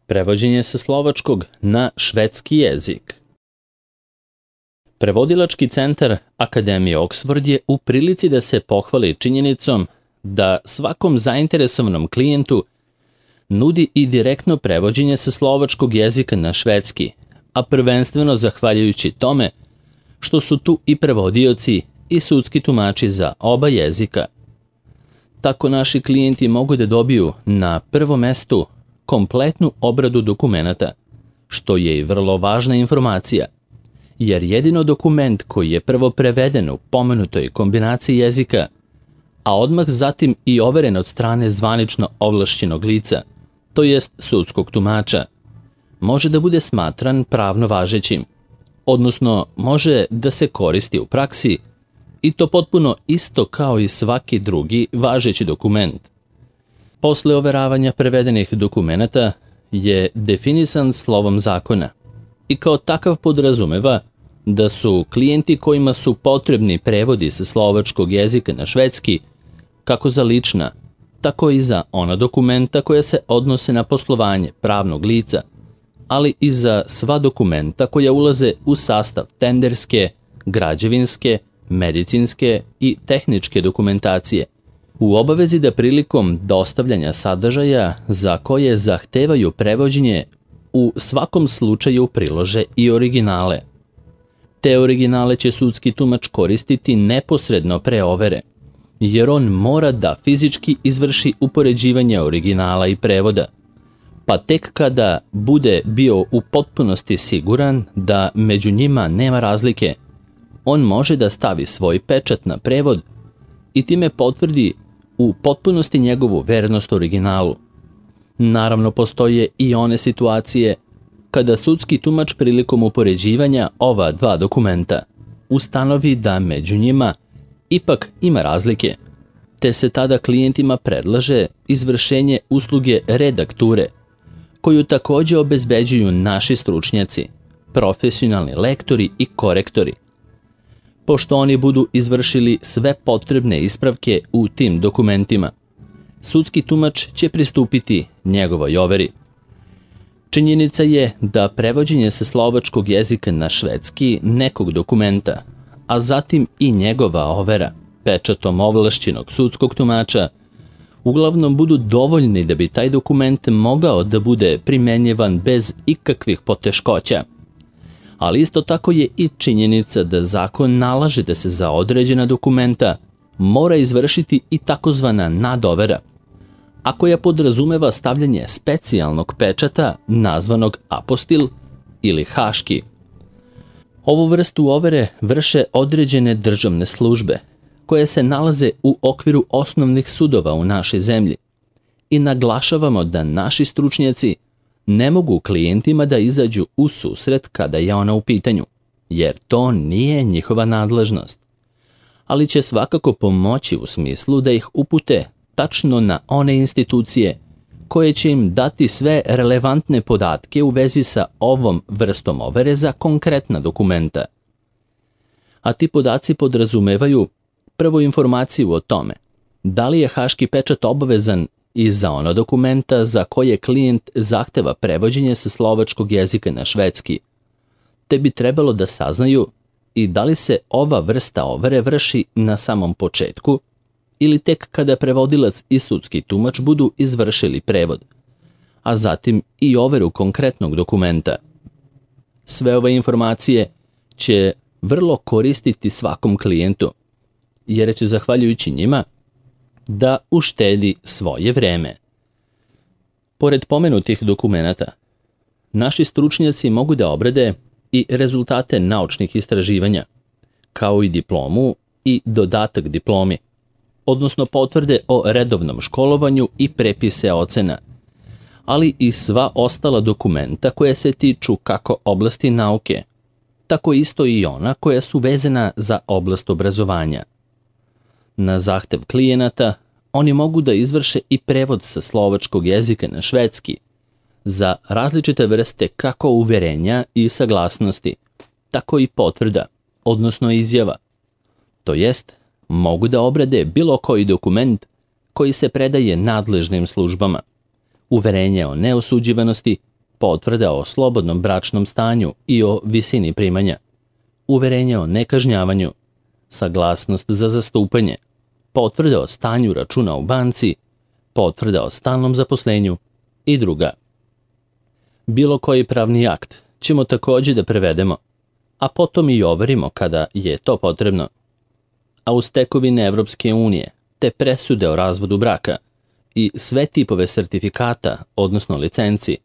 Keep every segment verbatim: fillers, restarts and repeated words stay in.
Prevođenje sa slovačkog na švedski jezik. Prevodilački centar Akademije Oxford je u prilici da se pohvali činjenicom da svakom zainteresovanom klijentu nudi i direktno prevođenje sa slovačkog jezika na švedski, a prvenstveno zahvaljujući tome što su tu i prevodioci i sudski tumači za oba jezika. Tako naši klijenti mogu da dobiju na prvom mestu kompletnu obradu dokumenata, što je i vrlo važna informacija, jer jedino dokument koji je prvo preveden u pomenutoj kombinaciji jezika, a odmah zatim i overen od strane zvanično ovlašćenog lica, to jest sudskog tumača, može da bude smatran pravno važećim, odnosno može da se koristi u praksi i to potpuno isto kao i svaki drugi važeći dokument. Posle overavanja prevedenih dokumenata je definisan slovom zakona i kao takav podrazumeva da su klijenti kojima su potrebni prevodi sa slovačkog jezika na švedski, kako za lična, tako i za ona dokumenta koja se odnose na poslovanje pravnog lica, ali i za sva dokumenta koja ulaze u sastav tenderske, građevinske, medicinske i tehničke dokumentacije, u obavezi da prilikom dostavljanja sadržaja za koje zahtevaju prevođenje u svakom slučaju prilože i originale. Te originale će sudski tumač koristiti neposredno pre overe, jer on mora da fizički izvrši upoređivanje originala i prevoda, pa tek kada bude bio u potpunosti siguran da među njima nema razlike, on može da stavi svoj pečat na prevod i time potvrdi u potpunosti njegovu vernost originalu. Naravno, postoje i one situacije kada sudski tumač prilikom upoređivanja ova dva dokumenta ustanovi da među njima ipak ima razlike, te se tada klijentima predlaže izvršenje usluge redakture, koju takođe obezbeđuju naši stručnjaci, profesionalni lektori i korektori. Pošto oni budu izvršili sve potrebne ispravke u tim dokumentima, sudski tumač će pristupiti njegovoj overi. Činjenica je da prevođenje sa slovačkog jezika na švedski nekog dokumenta, a zatim i njegova overa pečatom ovlašćenog sudskog tumača, uglavnom budu dovoljni da bi taj dokument mogao da bude primenjivan bez ikakvih poteškoća. Ali isto tako je i činjenica da zakon nalaže da se za određena dokumenta mora izvršiti i takozvana nadovera, a koja podrazumeva stavljanje specijalnog pečata nazvanog apostil ili haški. Ovu vrstu overe vrše određene državne službe, koje se nalaze u okviru osnovnih sudova u našoj zemlji, i naglašavamo da naši stručnjaci ne mogu klijentima da izađu u susret kada je ona u pitanju, jer to nije njihova nadležnost, ali će svakako pomoći u smislu da ih upute tačno na one institucije koje će im dati sve relevantne podatke u vezi sa ovom vrstom overe za konkretna dokumenta. A ti podaci podrazumevaju prvo informaciju o tome da li je haški pečat obavezan i za ona dokumenta za koje klijent zahteva prevođenje sa slovačkog jezika na švedski, te bi trebalo da saznaju i da li se ova vrsta overe vrši na samom početku ili tek kada prevodilac i sudski tumač budu izvršili prevod, a zatim i overu konkretnog dokumenta. Sve ove informacije će vrlo koristiti svakom klijentu, jer će zahvaljujući njima da uštedi svoje vreme. Pored pomenutih dokumenata, naši stručnjaci mogu da obrade i rezultate naučnih istraživanja, kao i diplomu i dodatak diplomi, odnosno potvrde o redovnom školovanju i prepise ocena, ali i sva ostala dokumenta koje se tiču kako oblasti nauke, tako isto i ona koja su vezana za oblast obrazovanja. Na zahtev klijenata, oni mogu da izvrše i prevod sa slovačkog jezika na švedski za različite vrste kako uverenja i saglasnosti, tako i potvrda, odnosno izjava. To jest, mogu da obrade bilo koji dokument koji se predaje nadležnim službama, uverenje o neosuđivanosti potvrda o slobodnom bračnom stanju i o visini primanja, uverenje o nekažnjavanju, saglasnost za zastupanje, potvrda o stanju računa u banci, potvrda o stalnom zaposlenju i druga. Bilo koji pravni akt ćemo takođe da prevedemo, a potom i overimo kada je to potrebno. A uz tekovine Evropske unije, te presude o razvodu braka i sve tipove sertifikata, odnosno licenci,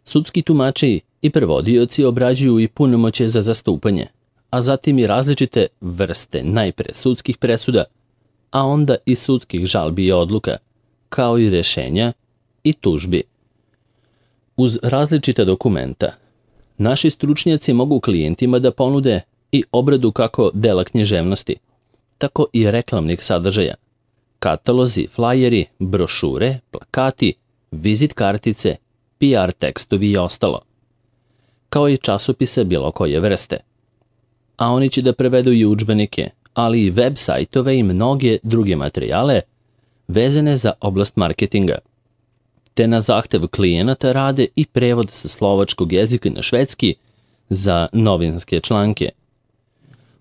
sudski tumači i prevodioci obrađuju i punomoćje za zastupanje, a zatim i različite vrste najpre sudskih presuda, a onda i sudskih žalbi i odluka, kao i rešenja i tužbi. Uz različita dokumenta, naši stručnjaci mogu klijentima da ponude i obradu kako dela književnosti, tako i reklamnih sadržaja, katalozi, flajeri, brošure, plakati, vizit kartice, P R tekstovi i ostalo, kao i časopise bilo koje vrste. A oni će da prevedu i udžbenike, ali i web sajtove i mnoge druge materijale vezane za oblast marketinga, te na zahtev klijenata rade i prevod sa slovačkog jezika na švedski za novinske članke.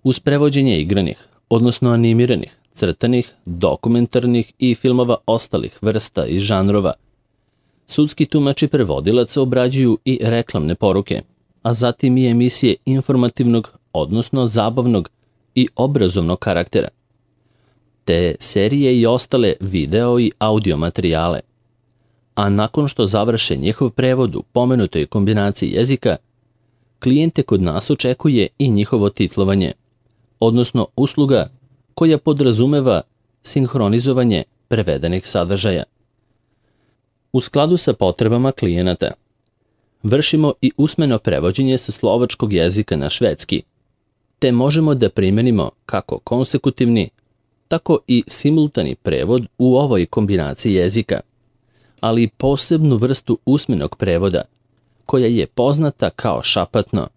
Uz prevođenje igranih, odnosno animiranih, crtanih, dokumentarnih i filmova ostalih vrsta i žanrova, sudski tumač i prevodilac obrađuju i reklamne poruke, a zatim i emisije informativnog, odnosno zabavnog i obrazovnog karaktera, te serije i ostale video i audio materijale. A nakon što završe njihov prevod u pomenutoj kombinaciji jezika, klijente kod nas očekuje i njihovo titlovanje, odnosno usluga koja podrazumeva sinhronizovanje prevedenih sadržaja. U skladu sa potrebama klijenata, vršimo i usmeno prevođenje sa slovačkog jezika na švedski, te možemo da primenimo kako konsekutivni, tako i simultani prevod u ovoj kombinaciji jezika, ali i posebnu vrstu usmenog prevoda, koja je poznata kao šapatno.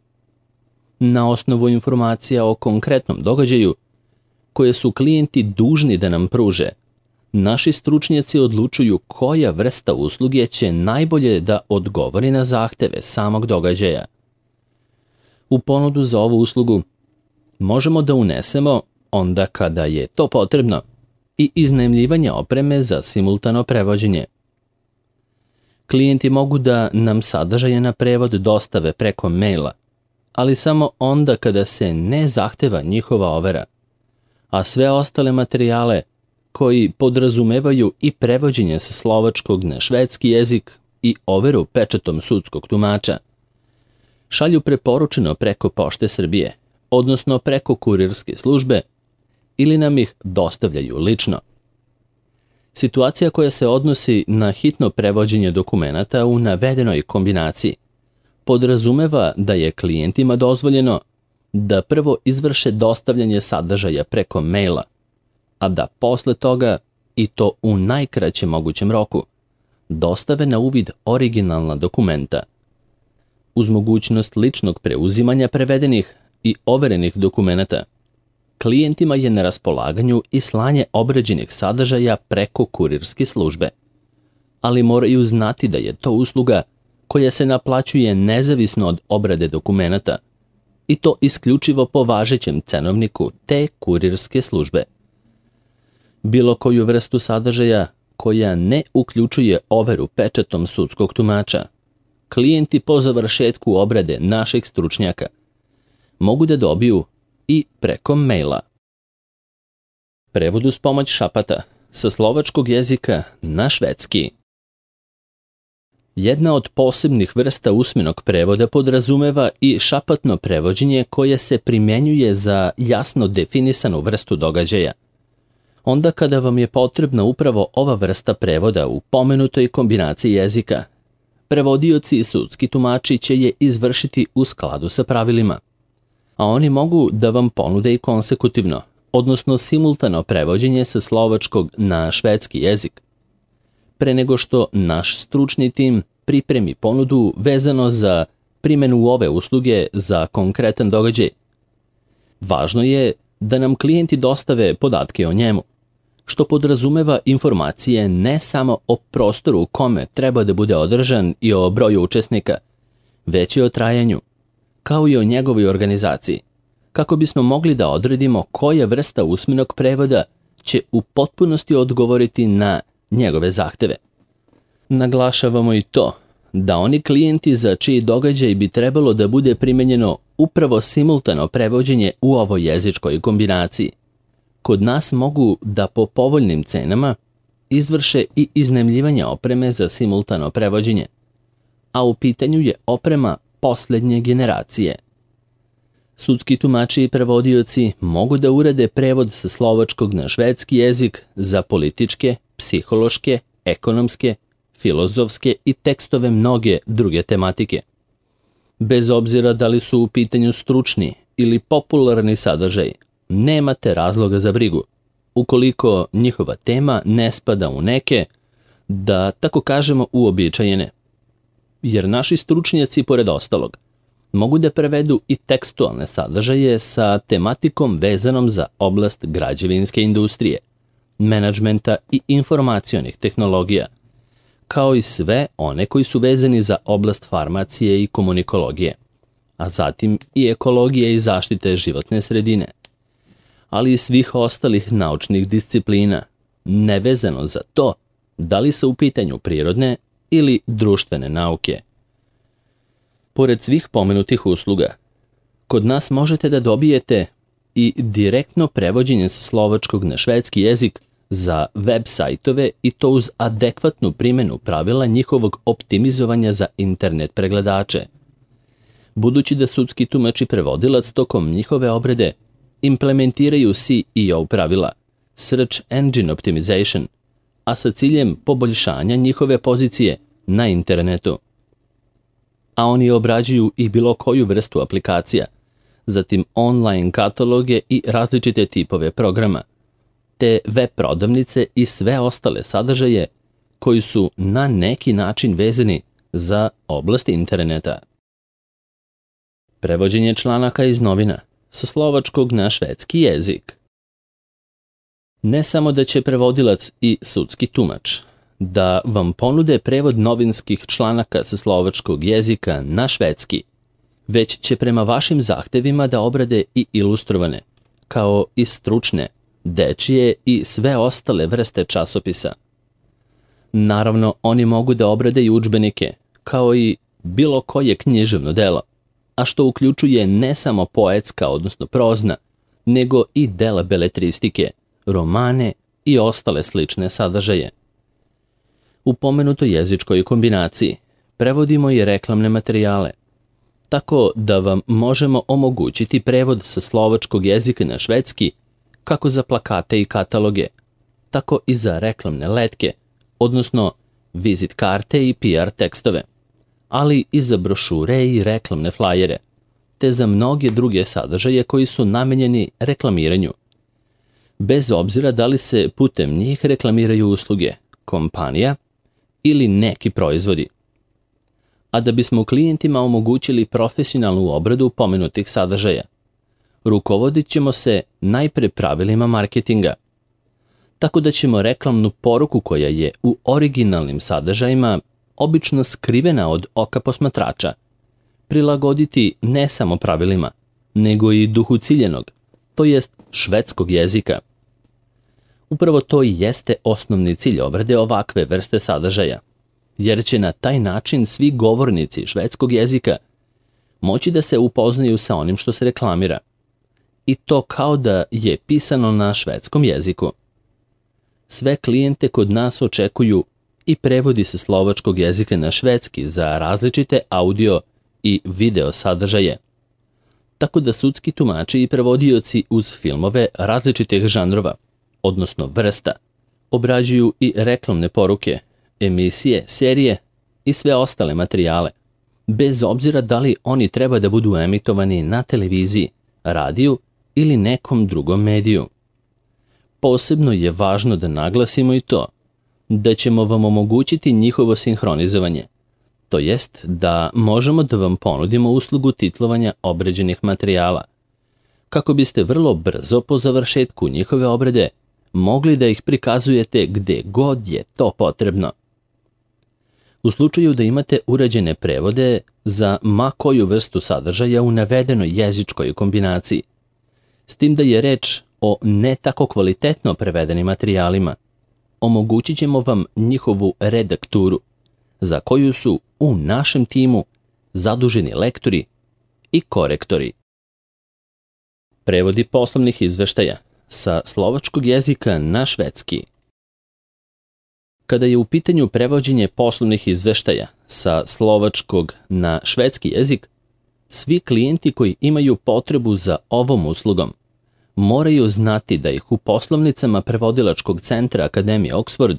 Na osnovu informacija o konkretnom događaju, koje su klijenti dužni da nam pruže, naši stručnjaci odlučuju koja vrsta usluge će najbolje da odgovori na zahteve samog događaja. U ponudu za ovu uslugu možemo da unesemo, onda kada je to potrebno, i iznajmljivanje opreme za simultano prevođenje. Klijenti mogu da nam sadržaje na prevod dostave preko maila, ali samo onda kada se ne zahteva njihova overa, a sve ostale materijale koji podrazumevaju i prevođenje sa slovačkog na švedski jezik i overu pečatom sudskog tumača, šalju preporučeno preko Pošte Srbije, odnosno preko kurirske službe, ili nam ih dostavljaju lično. Situacija koja se odnosi na hitno prevođenje dokumenata u navedenoj kombinaciji podrazumeva da je klijentima dozvoljeno da prvo izvrše dostavljanje sadržaja preko maila, a da posle toga, i to u najkraćem mogućem roku, dostave na uvid originalna dokumenta. Uz mogućnost ličnog preuzimanja prevedenih i overenih dokumenata, klijentima je na raspolaganju i slanje obrađenih sadržaja preko kurirske službe. Ali moraju znati da je to usluga koja se naplaćuje nezavisno od obrade dokumenata, i to isključivo po važećem cenovniku te kurirske službe. Bilo koju vrstu sadržaja koja ne uključuje overu pečatom sudskog tumača, klijenti po završetku obrade naših stručnjaka mogu da dobiju i preko maila. Prevod uz pomoć šapata sa slovačkog jezika na švedski. Jedna od posebnih vrsta usmenog prevoda podrazumeva i šapatno prevođenje koje se primenjuje za jasno definisanu vrstu događaja. Onda kada vam je potrebna upravo ova vrsta prevoda u pomenutoj kombinaciji jezika, prevodioci i sudski tumači će je izvršiti u skladu sa pravilima, a oni mogu da vam ponude i konsekutivno, odnosno simultano prevođenje sa slovačkog na švedski jezik, pre nego što naš stručni tim pripremi ponudu vezano za primenu ove usluge za konkretan događaj. Važno je da nam klijenti dostave podatke o njemu, što podrazumeva informacije ne samo o prostoru u kome treba da bude održan i o broju učesnika, već i o trajanju, kao i o njegovoj organizaciji, kako bismo mogli da odredimo koja vrsta usmenog prevoda će u potpunosti odgovoriti na njegove zahteve. Naglašavamo i to da oni klijenti za čiji događaj bi trebalo da bude primenjeno upravo simultano prevođenje u ovoj jezičkoj kombinaciji, kod nas mogu da po povoljnim cenama izvrše i iznajmljivanje opreme za simultano prevođenje, a u pitanju je oprema poslednje generacije. Sudski tumači i prevodioci mogu da urade prevod sa slovačkog na švedski jezik za političke, psihološke, ekonomske, filozofske i tekstove mnoge druge tematike. Bez obzira da li su u pitanju stručni ili popularni sadržaj, nemate razloga za brigu, ukoliko njihova tema ne spada u neke, da tako kažemo, uobičajene. Jer naši stručnjaci, pored ostalog, mogu da prevedu i tekstualne sadržaje sa tematikom vezanom za oblast građevinske industrije, menadžmenta i informacionih tehnologija, kao i sve one koji su vezani za oblast farmacije i komunikologije, a zatim i ekologije i zaštite životne sredine, ali i svih ostalih naučnih disciplina, nevezano za to da li su u pitanju prirodne ili društvene nauke. Pored svih pomenutih usluga, kod nas možete da dobijete i direktno prevođenje sa slovačkog na švedski jezik za web sajtove i to uz adekvatnu primjenu pravila njihovog optimizovanja za internet pregledače. Budući da sudski tumač i prevodilac tokom njihove obrade implementiraju C E O pravila, Search Engine Optimization, a sa ciljem poboljšanja njihove pozicije na internetu. A oni obrađuju i bilo koju vrstu aplikacija, zatim online kataloge i različite tipove programa, te web prodavnice i sve ostale sadržaje koji su na neki način vezani za oblast interneta. Prevođenje članaka iz novina sa slovačkog na švedski jezik. Ne samo da će prevodilac i sudski tumač da vam ponude prevod novinskih članaka sa slovačkog jezika na švedski, već će prema vašim zahtevima da obrade i ilustrovane, kao i stručne, dečije i sve ostale vrste časopisa. Naravno, oni mogu da obrade i udžbenike, kao i bilo koje književno delo, a što uključuje ne samo poetska, odnosno prozna, nego i dela beletristike, romane i ostale slične sadržaje. U pomenutoj jezičkoj kombinaciji prevodimo i reklamne materijale, tako da vam možemo omogućiti prevod sa slovačkog jezika na švedski kako za plakate i kataloge, tako i za reklamne letke, odnosno vizit karte i P R tekstove, ali i za brošure i reklamne flajere, te za mnoge druge sadržaje koji su namenjeni reklamiranju. Bez obzira da li se putem njih reklamiraju usluge, kompanija ili neki proizvodi. A da bismo klijentima omogućili profesionalnu obradu pomenutih sadržaja, rukovodit ćemo se najpre pravilima marketinga, tako da ćemo reklamnu poruku koja je u originalnim sadržajima obično skrivena od oka posmatrača, prilagoditi ne samo pravilima, nego i duhu ciljenog, to jest švedskog jezika. Upravo to i jeste osnovni cilj obrade ovakve vrste sadržaja, jer će na taj način svi govornici švedskog jezika moći da se upoznaju sa onim što se reklamira, i to kao da je pisano na švedskom jeziku. Sve klijente kod nas očekuju i prevodi sa slovačkog jezika na švedski za različite audio i video sadržaje, tako da sudski tumači i prevodioci uz filmove različitih žanrova, odnosno vrsta, obrađuju i reklamne poruke, emisije, serije i sve ostale materijale, bez obzira da li oni treba da budu emitovani na televiziji, radiju ili nekom drugom mediju. Posebno je važno da naglasimo i to da ćemo vam omogućiti njihovo sinhronizovanje, to jest da možemo da vam ponudimo uslugu titlovanja obrađenih materijala, kako biste vrlo brzo po završetku njihove obrade mogli da ih prikazujete gde god je to potrebno. U slučaju da imate urađene prevode za ma koju vrstu sadržaja u navedenoj jezičkoj kombinaciji, s tim da je reč o ne tako kvalitetno prevedenim materijalima, omogućit ćemo vam njihovu redakturu, za koju su u našem timu zaduženi lektori i korektori. Prevodi poslovnih izveštaja sa slovačkog jezika na švedski. Kada je u pitanju prevođenje poslovnih izveštaja sa slovačkog na švedski jezik, svi klijenti koji imaju potrebu za ovom uslugom moraju znati da ih u poslovnicama prevodilačkog centra Akademije Oxford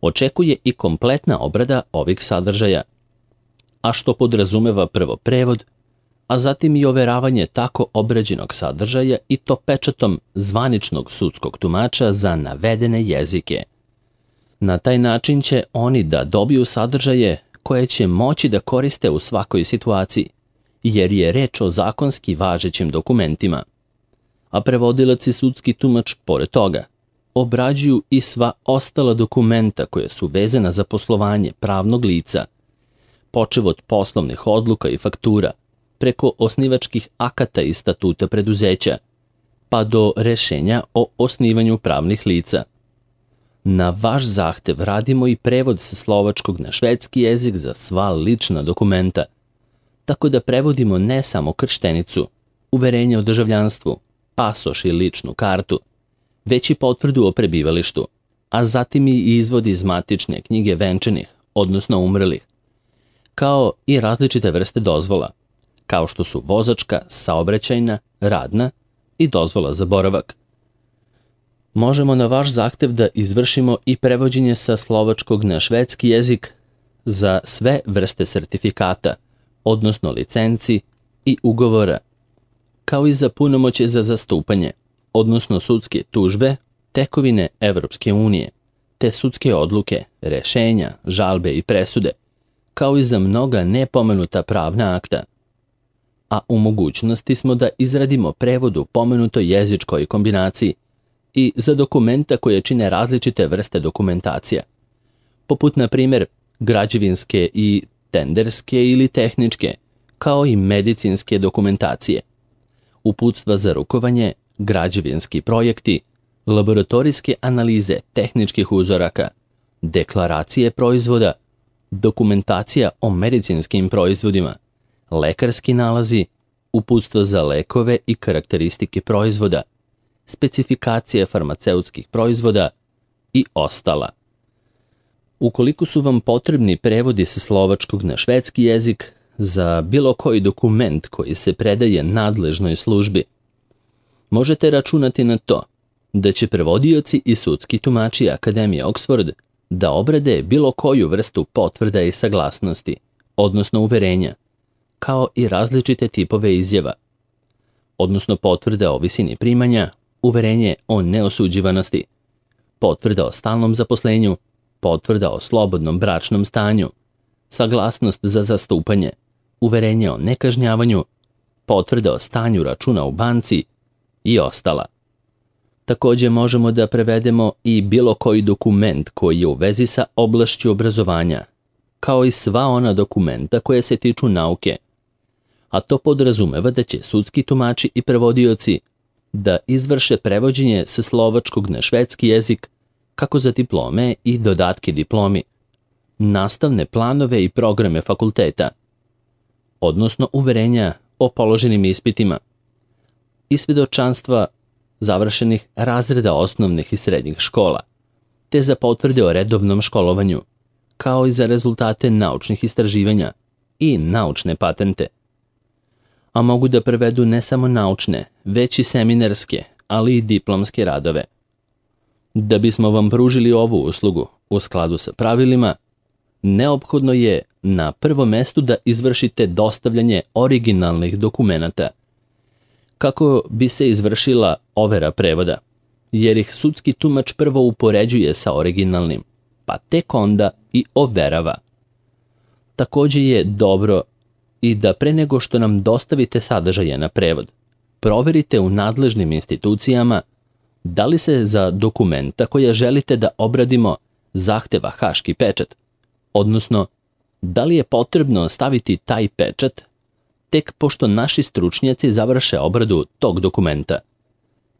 očekuje i kompletna obrada ovih sadržaja, a što podrazumeva prvo prevod, a zatim i overavanje tako obrađenog sadržaja i to pečatom zvaničnog sudskog tumača za navedene jezike. Na taj način će oni da dobiju sadržaje koje će moći da koriste u svakoj situaciji, jer je reč o zakonski važećim dokumentima. A prevodilac i sudski tumač, pored toga, obrađuju i sva ostala dokumenta koja su vezana za poslovanje pravnog lica, počev od poslovnih odluka i faktura, preko osnivačkih akata i statuta preduzeća, pa do rešenja o osnivanju pravnih lica. Na vaš zahtev radimo i prevod sa slovačkog na švedski jezik za sva lična dokumenta, tako da prevodimo ne samo krštenicu, uverenje o državljanstvu, pasoš i ličnu kartu, već i potvrdu o prebivalištu, a zatim i izvod iz matične knjige venčanih, odnosno umrlih, kao i različite vrste dozvola, kao što su vozačka, saobraćajna, radna i dozvola za boravak. Možemo na vaš zahtev da izvršimo i prevođenje sa slovačkog na švedski jezik za sve vrste sertifikata, odnosno licenci i ugovora, kao i za punomoćje za zastupanje, odnosno sudske tužbe, tekovine Evropske unije, te sudske odluke, rešenja, žalbe i presude, kao i za mnoga nepomenuta pravna akta. A u mogućnosti smo da izradimo prevod u pomenutoj jezičkoj kombinaciji i za dokumenta koje čine različite vrste dokumentacija, poput na primjer građevinske i tenderske ili tehničke, kao i medicinske dokumentacije, uputstva za rukovanje, građevinski projekti, laboratorijske analize tehničkih uzoraka, deklaracije proizvoda, dokumentacija o medicinskim proizvodima, lekarski nalazi, uputstva za lekove i karakteristike proizvoda, specifikacije farmaceutskih proizvoda i ostala. Ukoliko su vam potrebni prevodi sa slovačkog na švedski jezik za bilo koji dokument koji se predaje nadležnoj službi, možete računati na to da će prevodioci i sudski tumači Akademije Oxford da obrade bilo koju vrstu potvrda i saglasnosti, odnosno uverenja, kao i različite tipove izjava, odnosno potvrda o visini primanja, uverenje o neosuđivanosti, potvrda o stalnom zaposlenju, potvrda o slobodnom bračnom stanju, saglasnost za zastupanje, uverenje o nekažnjavanju, potvrda o stanju računa u banci i ostala. Takođe možemo da prevedemo i bilo koji dokument koji je u vezi sa oblašću obrazovanja, kao i sva ona dokumenta koje se tiču nauke, a to podrazumeva da će sudski tumači i prevodioci da izvrše prevođenje sa slovačkog na švedski jezik, kako za diplome i dodatke diplomi, nastavne planove i programe fakulteta, odnosno uverenja o položenim ispitima i svedočanstva završenih razreda osnovnih i srednjih škola, te za potvrde o redovnom školovanju, kao i za rezultate naučnih istraživanja i naučne patente. A mogu da prevedu ne samo naučne, već i seminarske, ali i diplomske radove. Da bismo vam pružili ovu uslugu u skladu sa pravilima, neophodno je na prvom mestu da izvršite dostavljanje originalnih dokumenata, kako bi se izvršila overa prevoda, jer ih sudski tumač prvo upoređuje sa originalnim, pa tek onda i overava. Takođe je dobro i da pre nego što nam dostavite sadržaje na prevod, proverite u nadležnim institucijama Da li se za dokumenta koja želite da obradimo zahteva haški pečat, odnosno da li je potrebno staviti taj pečat tek pošto naši stručnjaci završe obradu tog dokumenta,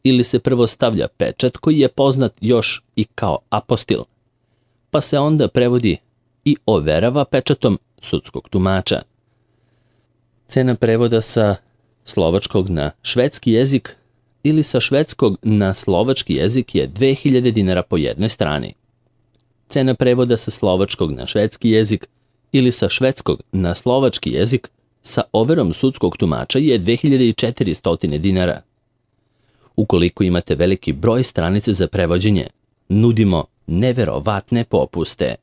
ili se prvo stavlja pečat koji je poznat još i kao apostil, pa se onda prevodi i overava pečatom sudskog tumača. Cena prevoda sa slovačkog na švedski jezik ili sa švedskog na slovački jezik je dve hiljade dinara po jednoj strani. Cena prevoda sa slovačkog na švedski jezik ili sa švedskog na slovački jezik sa overom sudskog tumača je dve hiljade četiristo dinara. Ukoliko imate veliki broj stranica za prevođenje, nudimo neverovatne popuste.